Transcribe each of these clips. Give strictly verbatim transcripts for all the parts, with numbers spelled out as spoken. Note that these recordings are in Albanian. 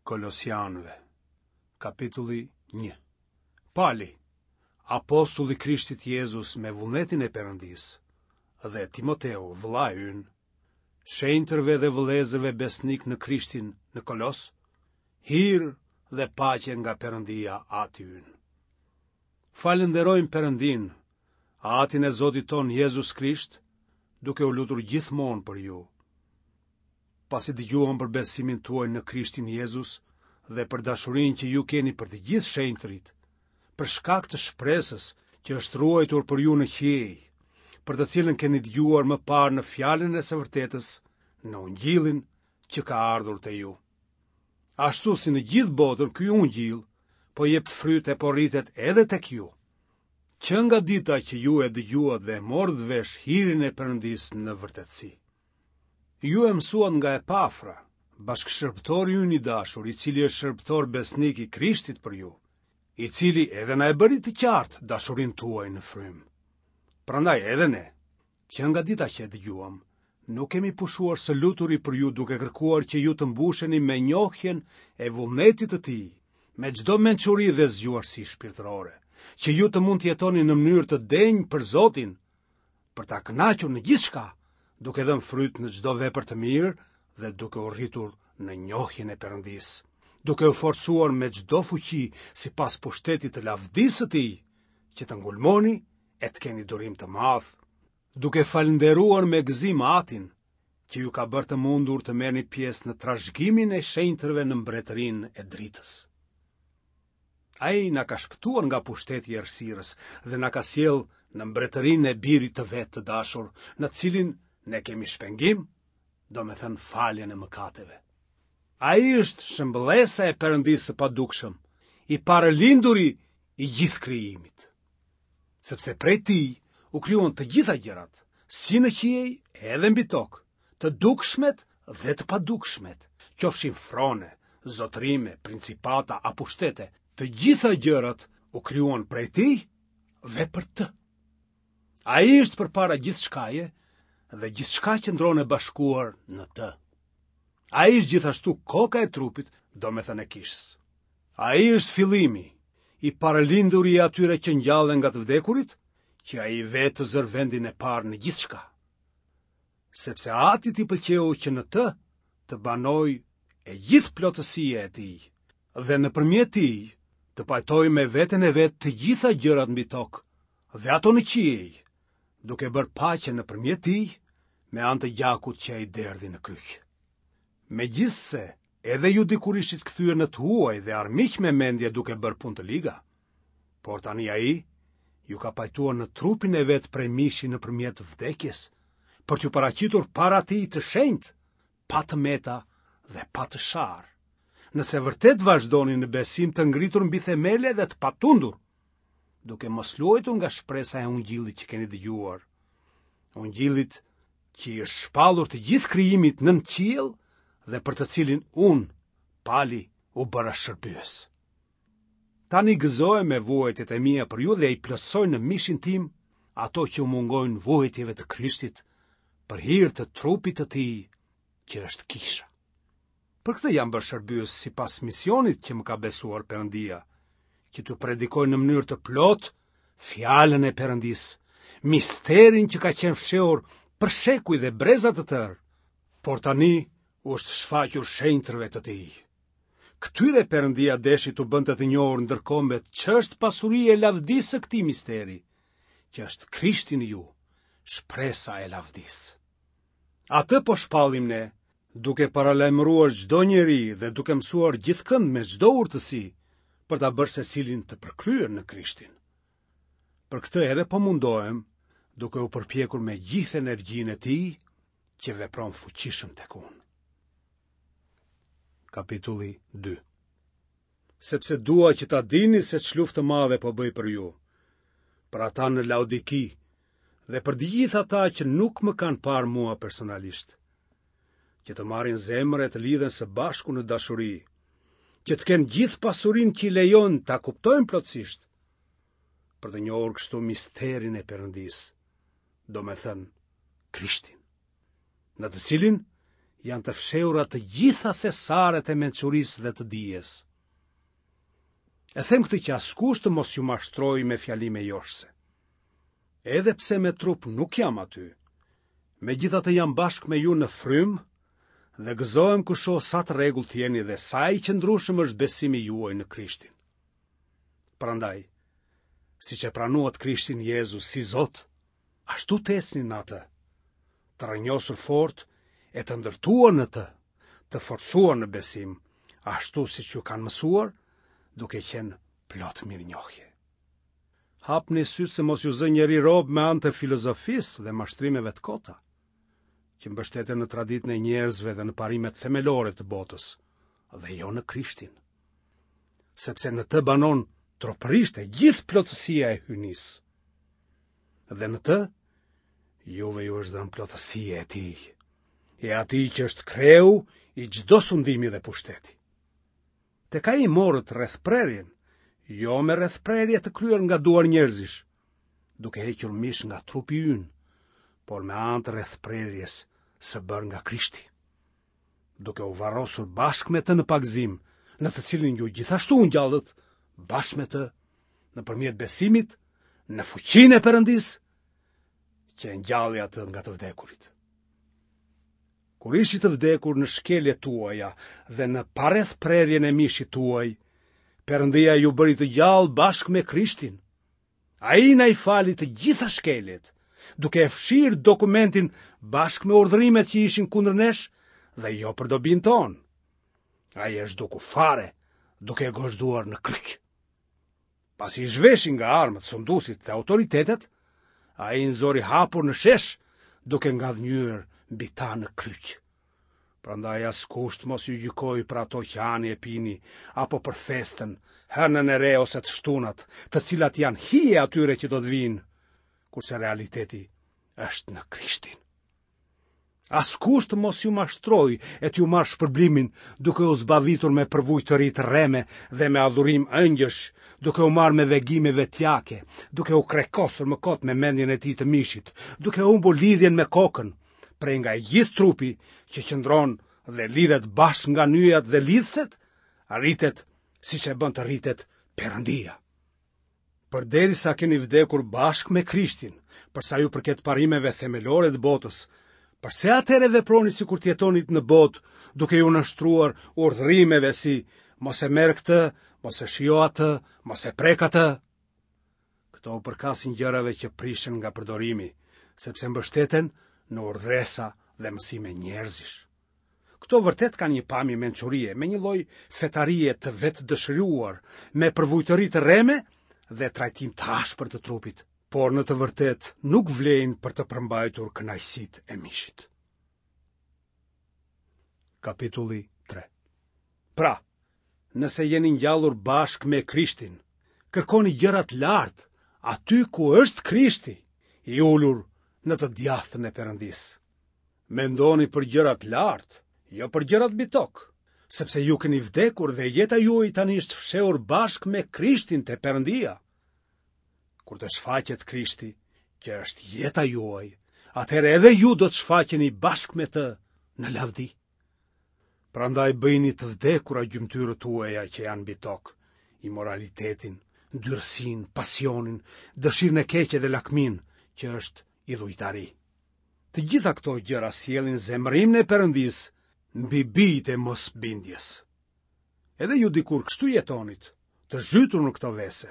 Kolosianëve, kapitulli një. Pali, apostull i Krishtit Jezus me vullnetin e Perëndisë, dhe Timoteu, vëllai ynë, shenjtërve dhe vëllezërve besnikë në Krishtin në Kolos, hir dhe paqe nga Perëndia Ati ynë. Falënderojmë Perëndinë, Atin e Zotit tonë Jezus Krisht, duke u lutur gjithmonë për ju. Pasi dëgjuam për besimin tuaj në Krishtin Jezus dhe për dashurinë që ju keni për të gjithë shenjtërit, për shkak të shpresës që është ruajtur për ju në qiej, për të cilën keni dëgjuar më parë në fjalën e së vërtetës, në ungjillin që ka ardhur te ju. Ashtu si në gjithë botën ky ungjill po jep fryt e po rritet edhe tek ju. Që nga dita që ju e dëgjuat dhe e morët vesh hirin e Perëndisë në vërtetësi. Ju e mësuat nga Epafra, bashkëshërbëtori ynë i dashur, i cili është shërbëtor besnik i Krishtit për ju, i cili edhe na e bëri të qartë dashurinë tuaj në frymë. Prandaj edhe ne, që nga dita që e dëgjuam, nuk kemi pushuar së luturi për ju duke kërkuar që ju të mbusheni me njohjen e vullnetit të tij, me çdo mençuri dhe zgjuarsi shpirtërore, që ju të mund të jetoni në mënyrë të denjë për Zotin, për ta kënaqur në gjithçka, duke dhënë fryt në çdo vepër të mirë dhe duke u rritur në njohjen e Perëndisë, duke u forcuar me çdo fuqi sipas pushtetit të lavdisë së tij, që të ngulmoni e të keni durim të madh, duke falënderuar me gëzim Atin, që ju ka bërë të mundur të merrni pjesë në trashëgiminë e shenjtërve në mbretërinë e dritës. Ai na ka shpëtuar nga pushteti i errësirës dhe na ka sjellë në mbretërinë e birit të vet të dashur, në të cilin ne kemi shpengim, domethënë faljen e mëkateve. Ai është shëmbëllesa e Perëndisë së padukshëm, i parëlinduri i gjithë krijimit. Sepse prej tij u krijuan të gjitha gjërat, si në qiej edhe mbi tokë, të dukshmet dhe të padukshmet, qofshin frone, zotërime, principata a pushtete, të gjitha gjërat u krijuan prej tij dhe për të. Ai është përpara gjithçkaje dhe gjithçka qëndron e bashkuar në të. Ai është gjithashtu koka e trupit, domethënë e kishës. Ai është fillimi, i parëlinduri i atyre që ngjallen nga të vdekurit, që ai vetë të zërë vendin e parë në gjithçka. Sepse Atit i pëlqeu që në të të banojë e gjithë plotësia e tij, dhe nëpërmjet tij të pajtojë me veten e vet të gjitha gjërat mbi tokë dhe ato në qiej, duke bërë paqe nëpërmjet tij me anë të gjakut që ai derdhi në kryq. Megjithëse edhe ju dikur ishit kthyer në të huaj dhe armiq me mendje duke bërë punë të liga, por tani ai ju ka pajtuar në trupin e vet prej mishi nëpërmjet vdekjes, për t'ju paraqitur para tij të shenjtë, pa të meta dhe pa të sharë. Nëse vërtet vazhdoni në besim të ngritur mbi themele dhe të patundur, duke mos luajtur nga shpresa e ungjillit që keni dëgjuar, ungjillit që i është shpallur të gjithë krijimit nën qiell dhe për të cilin unë, Pali, u bëra shërbyes. Tani gëzohem me vuajtjet e mia për ju dhe i plotësoj në mishin tim ato që u mungojnë vuajtjeve të Krishtit për hir të trupit të tij, që është kisha. Për këtë jam bërë shërbyes sipas misionit që më ka besuar Perëndia, që t'ju predikoj në mënyrë të plotë fjalën e Perëndisë, misterin që ka qenë fshehur për shekuj dhe breza të tërë, por tani u është shfaqur shenjtërve të tij. Këtyre Perëndia deshi t'u bënte të njohur ndër kombet ç'është pasuria e lavdisë së këtij misteri, që është Krishti në ju, shpresa e lavdisë. Atë po shpallim ne, duke paralajmëruar çdo njeri dhe duke mësuar gjithkënd me çdo urtësi, për ta bërë secilin të përkryer në Krishtin. Për këtë edhe po mundohem, duke u përpjekur me gjithë energjinë e tij që vepron fuqishëm tek unë. Kapitulli dy. Sepse dua që ta dini se ç'luftë të madhe po bëj për ju, për ata në Laodiki dhe për të gjithë ata që nuk më kanë parë mua personalisht, që të marrin zemër e të lidhen së bashku në dashuri, që të kenë gjithë pasurinë që i lejon ta kuptojnë plotësisht, për të njohur kështu misterin e Perëndisë, domethënë Krishtin, në të cilin janë të fshehura të gjitha thesaret e mençurisë dhe të dijes. E them këtë që askush të mos ju mashtrojë me fjalime joshëse. Edhe pse me trup nuk jam aty, megjithatë jam bashkë me ju në frymë dhe gëzohem kur shoh sa të rregullt jeni dhe sa i qëndrueshëm është besimi juaj në Krishtin. Prandaj, siç e pranuat Krishtin Jezus si Zot, ashtu të ecni në atë, të rrënjosur fort e të ndërtuar në të, të forcuar në besim, ashtu siç ju kanë mësuar, duke qenë plot mirënjohje. Hapni sytë se mos ju zë njeri rob me anë të filozofisë dhe mashtrimeve të kota, që mbështeten në traditën e njerëzve dhe në parimet themelore të botës, dhe jo në Krishtin. Sepse në të banon tropërisht e gjithë plotësia e hyjnisë. Dhe në të, juve ju është dhënë plotësia e tij, e atij që është kreu i çdo sundimi dhe pushteti. Tek ai morët rrethprerjen, jo me rrethprerje të kryer nga duar njerëzish, duke hequr mish nga trupi ynë, por me anë të rrethprerjes së bërë nga Krishti, duke u varrosur bashkë me të në pagëzim, në të cilin ju gjithashtu u ngjallët bashkë me të nëpërmjet besimit në fuqinë e Perëndisë, që e ngjalli atë nga të vdekurit. Kur ishit të vdekur në shkeljet tuaja dhe në parrethprerjen e mishit tuaj, Perëndia ju bëri të gjallë bashkë me Krishtin. Ai na i fali të gjitha shkeljet, duke e fshirë dokumentin bashkë me urdhërimet që ishin kundër nesh dhe jo për dobinë tonë. Ai e zhduku fare, duke e gozhduar në kryq. Pasi i zhveshi nga armët, sunduesit dhe autoritetet, ai i nxori hapur në shesh, duke ngadhënjyer mbi ta në kryq. Prandaj askush të mos ju gjykojë për ato që hani e pini, apo për festën, hënën e re ose të shtunat, të cilat janë hije atyre që do të vijnë, kurse realiteti është në Krishtin. Askush të mos ju mashtrojë e t'ju marrë shpërblimin, duke u zbavitur me përvujtëri të rreme dhe me adhurim ëngjësh, duke u marrë me vegime vetjake, duke u krekosur më kot me mendjen e tij të mishit, duke humbur lidhjen me kokën, prej nga i gjithë trupi që qëndron dhe lidhet bashkë nga nyjat dhe lidhëset, rritet siç e bën të rritet Perëndia. Përderisa keni vdekur bashkë me Krishtin, për sa ju përket parimeve themelore të botës, përse atëherë veproni sikur të jetonit në botë, duke ju nënshtruar urdhërimeve si mos e merr këtë, mos e shijo atë, mos e prek atë? Këto u përkasin gjërave që prishen nga përdorimi, sepse mbështeten në urdhëresa dhe mësime njerëzish. Këto vërtet kanë një pamje mençurie, me një lloj fetarie të vetëdëshiruar, me përvujtëri të rreme dhe trajtim të ashpër të trupit, por në të vërtetë nuk vlejnë për të përmbajtur kënaqësitë e mishit. Kapitulli tre. Pra, nëse jeni ngjallur bashkë me Krishtin, kërkoni gjërat lart, aty ku është Krishti, i ulur në të djathtën e Perëndisë. Mendoni për gjërat lart, jo për gjërat mbi tokë, sepse ju keni vdekur dhe jeta juaj tani është fshehur bashkë me Krishtin te Perëndia. Kur të shfaqet Krishti, që është jeta juaj, atëherë edhe ju do të shfaqeni bashkë me të në lavdi. Prandaj bëjini të vdekura gjymtyrët tuaja që janë mbi tokë, imoralitetin, ndyrësinë, pasionin, dëshirën e keqe dhe lakminë, që është idhujtari. Të gjitha këto gjëra sjellin zemërimin e Perëndisë mbi bijtë e mosbindjes. Edhe ju dikur kështu jetonit, të zhytur në këto vese.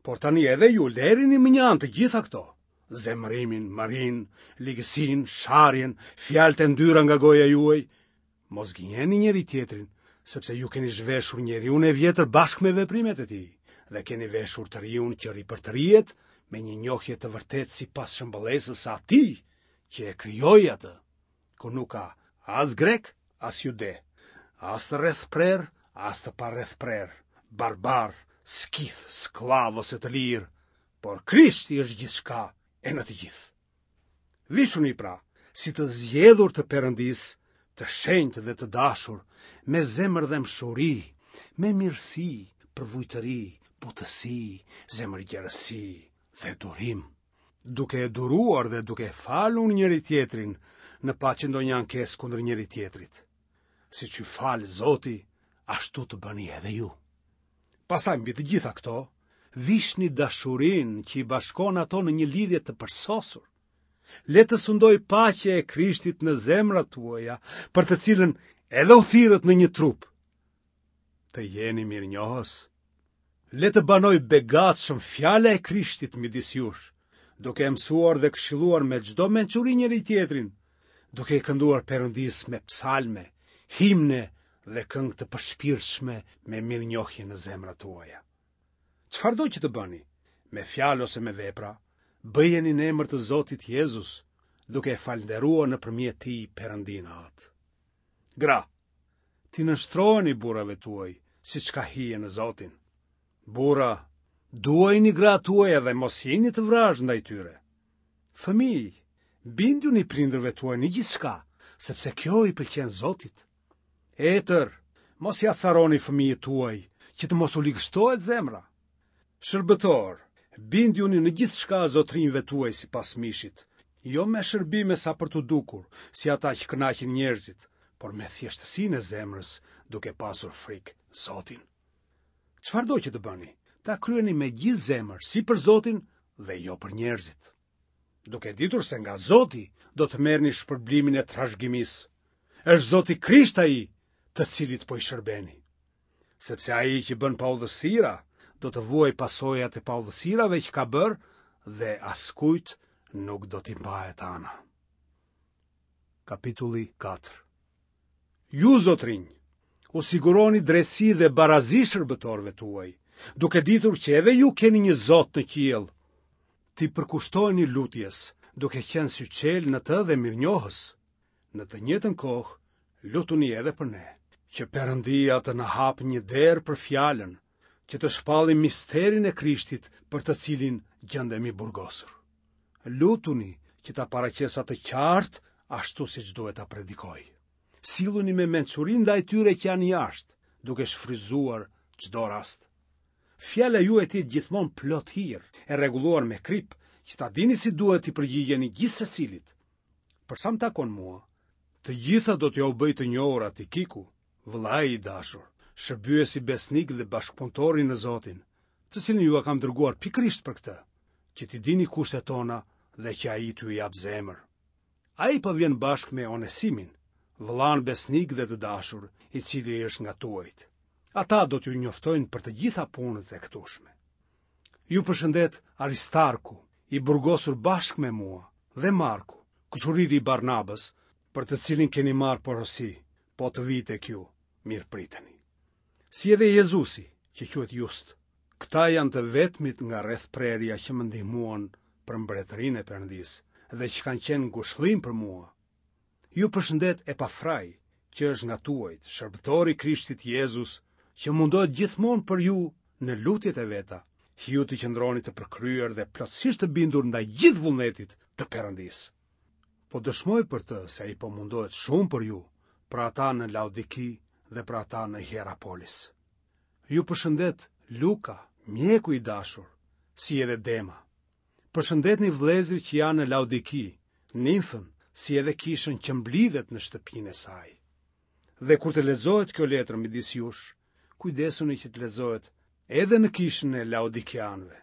Por tani edhe ju lerini më një anë të gjitha këto, zemërimin, mërinë, ligësinë, sharjen, fjalët e ndyra nga goja juaj. Mos gënjeni njëri tjetrin, sepse ju keni zhveshur njeriun e vjetër bashkë me veprimet e tij dhe keni veshur të riun që ripërtërihet me një njohje të vërtetë sipas shëmbëllesës së atij që e krijoi atë, ku nuk ka as grek, as jude, as të rrethprer, as të parrethprer, barbar, skith, skllav ose të lirë, por Krishti është gjithçka e në të gjithë. Vishuni pra, si të zgjedhur të Perëndisë, të shenjtë dhe të dashur, me zemërdhembshuri, me mirësi, përvujtëri, butësi, zemërgjerësi dhe durim, duke e duruar dhe duke falur njëri tjetrin, në paçi ndonjë ankesë kundër njëri-tjetrit. Siç ju fal Zoti, ashtu të bëni edhe ju. Pastaj mbi të gjitha këto, vishni dashurinë që i bashkon ato në një lidhje të përsosur. Le të sundojë paqja e Krishtit në zemrat tuaja, për të cilën edhe u thirrët në një trup. Të jeni mirënjohës. Le të banojë begatshëm fjala e Krishtit midis jush, duke e mësuar dhe këshilluar me çdo mençuri njëri-tjetrin, duke i kënduar Perëndisë me psalme, himne dhe këngë të përshpirtshme me mirënjohje në zemrat tuaja. Çfarëdo që të bëni, me fjalë ose me vepra, bëjeni në emër të Zotit Jezus, duke e falënderuar nëpërmjet tij Perëndinë Atë. Gra, t'i nënshtroheni burrave tuaj, siç ka hije në Zotin. Burra, duajini gratë tuaja dhe mos jini të vrazhdë ndaj tyre. Fëmijë, bindjuni prindërve tuaj në gjithçka, sepse kjo i pëlqen Zotit. Etër, mos i acaroni fëmijët tuaj, që të mos u ligështohet zemra. Shërbëtorë, bindjuni në gjithçka zotërinjve tuaj sipas mishit, jo me shërbime sa për t'u dukur, si ata që kënaqin njerëzit, por me thjeshtësinë e zemrës, duke pasur frikë Zotin. Çfarëdo që të bëni, ta kryeni me gjithë zemër, si për Zotin dhe jo për njerëzit. Duke ditur se nga Zoti do të merrni shpërblimin e trashëgimisë. Është Zoti Krisht ai, të cilit po i shërbeni. Sepse ai që bën paudhësira, do të vuajë pasojat e paudhësirave që ka bërë dhe askujt nuk do t'i mbahet ana. Kapitulli katër. Ju, zotërinj, u siguroni drejtësi dhe barazi shërbëtorëve tuaj, duke ditur që edhe ju keni një Zot në qiell. T'i përkushtoheni lutjes, duke qenë syçelë në të dhe mirënjohës. Në të njëjtën kohë, lutuni edhe për ne, që Perëndia të na hapë një derë për fjalën, që të shpallim misterin e Krishtit për të cilin gjendem i burgosur. Lutuni që ta paraqes atë qartë ashtu siç duhet ta predikoj. Silluni me mençuri ndaj tyre që janë jashtë, duke shfrytëzuar çdo rast. Fjala juaj të jetë gjithmonë plot hir, e rregulluar me kripë, që ta dini si duhet t'i përgjigjeni gjithsecilit. Për sa më takon mua, të gjitha do t'jua bëj të njohura Tikiku, vëllai i dashur, shërbyesi besnik dhe bashkëpunëtori në Zotin, të cilin jua kam dërguar pikërisht për këtë, që t'i dini kushtet tona dhe që ai t'ju japë zemër. Ai po vjen bashkë me Onesimin, vëllanë besnik dhe të dashur, i cili është nga tuajt. Ata do t'ju njoftojnë për të gjitha punët e këtushme. Ju përshëndet Aristarku, i burgosur bashkë me mua, dhe Marku, kushëriri i Barnabës, për të cilin keni marrë porosi, po të vijë tek ju, mirëpriteni. Si edhe Jezusi, që quhet Just. Këta janë të vetmit nga rrethprerja që më ndihmuan për mbretërinë e Perëndisë dhe që kanë qenë ngushëllim për mua. Ju përshëndet Epafrai, që është nga tuajt, shërbëtori i Krishtit Jezus, që mundohet gjithmonë për ju në lutjet e veta, që ju të qëndroni të përkryer dhe plotësisht të bindur ndaj gjithë vullnetit të Perëndisë. Po dëshmoj për të se ai po mundohet shumë për ju, për ata në Laodiki dhe për ata në Hierapolis. Ju përshëndet Luka, mjeku i dashur, si edhe Dema. Përshëndetni vëllezërit që janë në Laodiki, Nimfën, si edhe kishën që mblidhet në shtëpinë e saj. Dhe kur të lexohet kjo letër midis jush, kujdesuni që të lexohet edhe në kishën e Laodikianëve.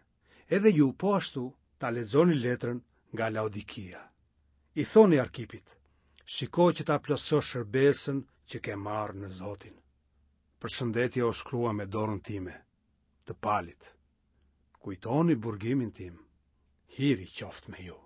Edhe ju po ashtu ta lexoni letrën nga Laodikia. I thoni Arkipit, shiko që ta plotësosh shërbesën që ke marrë në Zotin. Përshëndetja u shkrua me dorën time, të Palit. Kujtoni burgimin tim. Hiri qoftë me ju.